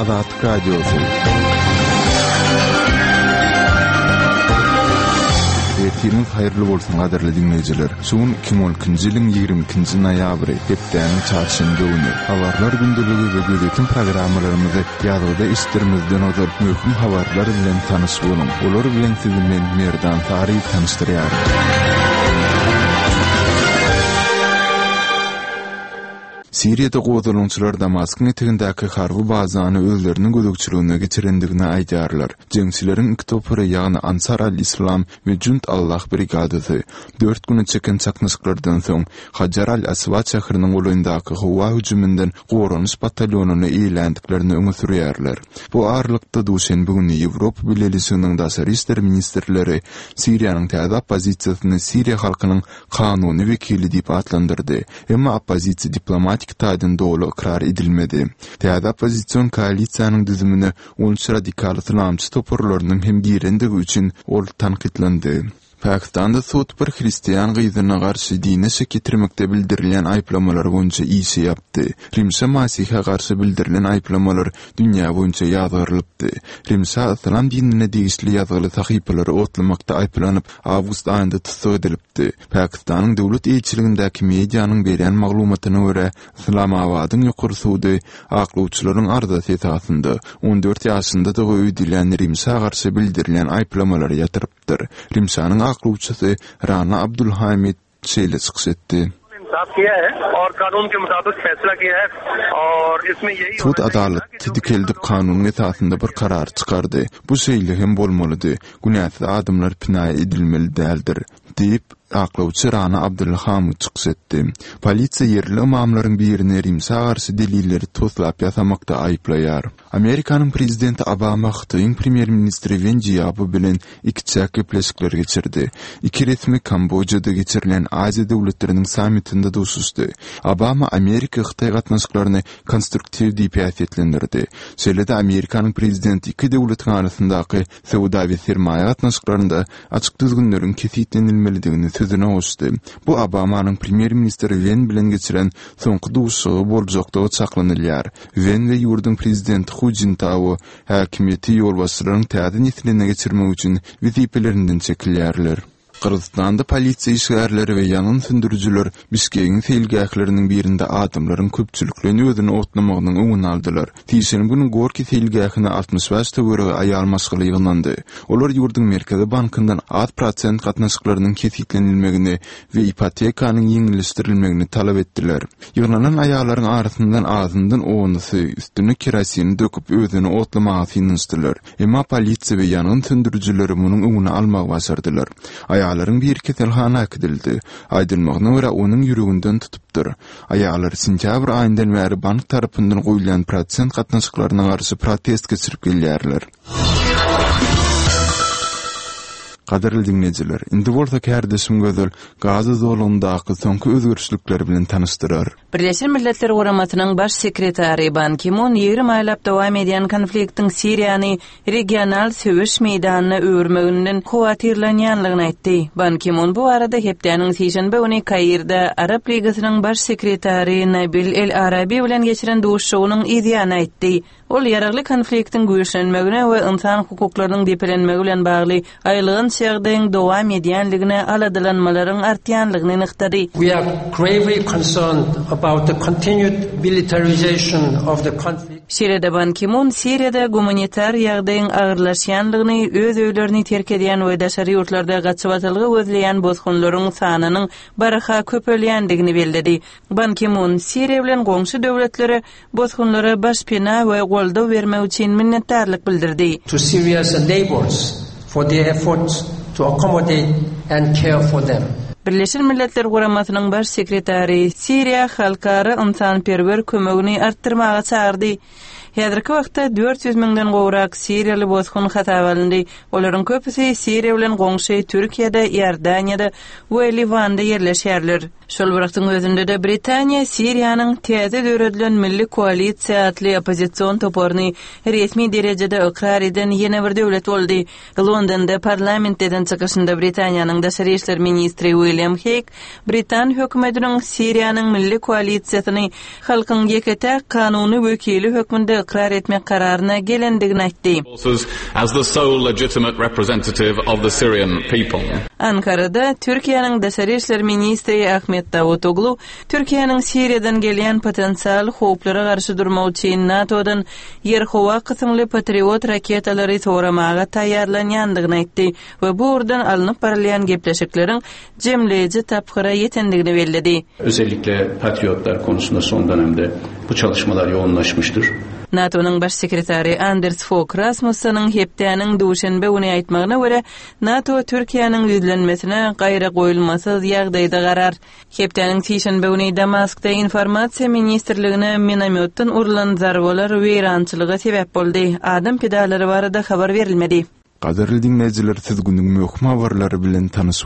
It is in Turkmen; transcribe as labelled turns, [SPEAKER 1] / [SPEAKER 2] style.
[SPEAKER 1] Azatlyk Radiosy. Ertiriňiz haýyrly bolsun gadyrly diňleýjiler. Şu gün 2012-nji ýylyň 22-nji noýabry, hepdäniň çarşenbe güni. Habarlar gündeligi we gözýetim programmalarymyzy ýazgyda eşitdirmezden ozal möhüm habarlar bilen tanyş boluň. Olar bilen sizi men Merdan Saryýew tanyşdyrýaryn. Siriýada gozgalaňçylar Damaskyň etegindäki harby bazany özleriniň gözegçiligine geçirendigini aýdýarlar. Jeňçileriň iki topary, ýagny Ansar al-Islam we Jund Allah brigadasy, dört güne çeken çaknyşyklardan soň, Hajar al-Aswad şäheriniň golaýyndaky howa hüjüminden goranyş batalýonyny eýeländiklerini öňe sürýärler. Bu aralykda, duşenbe güni Ýewropa Bileleşiginiň daşary işler ministrleri Siriýanyň täze oppozisiýasyny siriýa halkynyň kanuny wekili diýip atlandyrdy, emma oppozisiýa diplomatik taýdan doly ykrar edilmedi. Täze oppozision koalisiýanyň düzümine 13 radikal yslamçy toparlarynyň hem girendigi üçin ol tankytlandy. Pakistanda sud bir hristian gyzyna garşy dine şek ýetirmekde bildirilýän aýyplamalar boýunça işi ýapdy. Rimşa Masihe garşy bildirilen aýyplamalar dünýä boýunça ýazgarylypdy. Rimşa yslam dinine degişli ýazgyly sahypalary otlamakda aýyplanyp, awgust aýynda tussag edilipdi. Pakistanyň döwlet eýeçiligindäki medianyň berýän maglumatyna görä, Yslamabadyň ýokary sudy aklawçylaryň arzasy esasynda, 14 ýaşyndadygy öýdülýän Rimşa garşy bildirilýän aýyplamalary ýatyrypdyr. Rimşanyň aklawçysy Rana Abdulhamid şeýle çykyş etdi. Sud adalaty dikeldip kanunyň esasynda bir karar çykardy. Bu şeýle hem bolmalydy. Günäsiz adamlar pina edilmeli däldir, diýip, aklawçy Rana Abdulhamid çykyş etdi. Polisiýa ýerli ymamlaryň birini Rimşa garşy delilleri toslap ýasamakda aýyplaýar. Amerikanyň prezidenti Obama Hytaýyň premýer-ministri Wen Jiabo bilen ikiçäk gepleşikler geçirdi. Iki resmi Kambojada geçirilen Aziýa döwletleriniň sammitinde duşuşdy. Obama Amerika-Hytaý gatnaşyklaryny konstruktiw diýip häsiýetlendirdi. Şeýle-de Amerikanyň prezidenti iki döwletiň arasyndaky söwda we sermaýa gatnaşyklarynda açyk düzgünleriň kesgitlenilmelidigini sözüne goşdy. Bu Obamanyň premýer-ministr Wen bilen geçiren soňky duşuşygy boljakdygy çaklanylýar. Wen we ýurduň prezidenti Hu Jintao häkimiýeti ýolbaşçylaryň täze nesline geçirmek üçin wezipelerinden çekilýärler. Gyrgyzystanda polisiýa işgärleri we ýangyn söndürijiler Bişkegiň seýilgähleriniň birinde adamlaryň köpçülikleýin özüni otlamagynyň öňüni aldylar. Sişenbe güni Gorkiý seýilgähine 65 töweregi aýal maşgala ýygnandy. Olar ýurduň Merkezi bankyndan az prosent gatnaşyklarynyň kesgitlenilmegini we ipotekanyň ýeňilleşdirilmegini talap etdiler. Ýygnanan aýallaryň arasyndan azyndan onusy üstüne kerosini döküp özüni otlamaga synanyşdylar. Emma polisiýa we ýangyn söndürijileri munuň öňüni almagy başardylar. Aýallaryň biri keselhana äkidildi. Aýdylmagyna görä, onuň ýüreginden tutupdyr. Aýallar sentýabr aýyndan bäri bank tarapyndan goýulýan prosent gatnaşyklaryna garşy protest geçirip gelýärler. Gadyrly diňleýjiler, indi bolsa kärdeşim Gözel Gaza zolagyndaky soňky özgerişlikler bilen tanyşdyrar.
[SPEAKER 2] Birleşen Milletler Guramasynyň Baş sekretary Ban Ki-mun 20 aýlap dowam edýän konfliktiň Siriýany regional söweş meýdanyna öwürmeginden howatyrlanýanlygyny aýtdy. Ban Ki-mun bu barada hepdäniň sişenbe güni Kairde Arap Ligasynyň Baş sekretary Nabil El-Arabi bilen geçiren duşuşygynyň yzýany aýtdy. Ol ýaragly konfliktiň güýçlenmegine we ynsan hukuklarynyň depelenmegi bilen bagly aýylganç ýagdaýyň dowam edýänligine aladalanmalaryň artýanlygyny nygtady.
[SPEAKER 3] We are gravely concerned about the continued militarization of the conflict.
[SPEAKER 2] Şeýle-de Ban Ki-mun Siriýada gumanitar ýagdaýyň agyrlaşýanlygyny, öz öýlerini terk edýän we daşary ýurtlarda gaçybatalga gözleýän bosgunlaryň sanynyň barha köpelýändigini belledi. Ban Ki-mun Siriýa bilen goňşy döwletlere bosgunlara başpena we goldaw bermek üçin minnetdarlyk bildirdi.
[SPEAKER 3] To Syria's neighbors for their efforts to accommodate and care for them.
[SPEAKER 2] Birleşen Milletler Guramasynyň Baş sekretary Siriýa halkara ynsanperwer kömegini artdyrmaga çagyrdy. Häzirki wagtda 400 müňden gowrak siriýaly bosgun hasaba alyndy. Olaryň köpüsi Siriýa bilen goňşy Türkiýede, Iordaniýada we Liwanda ýerleşýärler. Şol bir wagtyň özünde-de Britaniýa Siriýanyň täze döredilen Milli koalisiýa atly oppozision toparyny resmi derejede ykrar eden ýene bir döwlet boldy. Londonda parlamentde eden çykyşynda Britaniýanyň daşary işler ministri William. William Heýg britan hökümetiniň Siriýanyň milli koalisiýasyny halkyň ýeke-täk kanuny wekili hökmünde ykrar etmek kararyna gelendigini aýtdy.
[SPEAKER 4] as the sole legitimate representative of the Syrian people.
[SPEAKER 2] Ankarada Türkiýäniň daşary işler ministri Ahmet Dawutoglu Türkiýäniň Siriýadan gelýän potensial howplara garşy durmak üçin NATO-dan ýer-howa kysymly Patriot raketalary soramaga taýýarlanýandygyny aýtdy we bu ugurdan alnyp barylýan gepleşikleriň jemleýji tapgyra ýetendigini belledi.
[SPEAKER 5] Özellikle Patriotlar konusunda son dönemde bu çalışmalar yoğunlaşmıştır.
[SPEAKER 2] NATO-nyň Baş sekretary Anders Fog Rasmusseniň hepdäniň duşenbe güni aýtmagyna görä, NATO Türkiýäniň ýüzlenmesine gaýragoýulmasyz ýagdaýda garar. Hepdäniň sişenbe güni Damaskda Informasiýa ministrligine minomýotdan urlan zarbalar weýrançylyga sebäp boldy. Adam pidalary barada habar berilmedi.
[SPEAKER 1] Gadyrly diňleýjiler siz günüň möhüm habarlary bilen tanyş.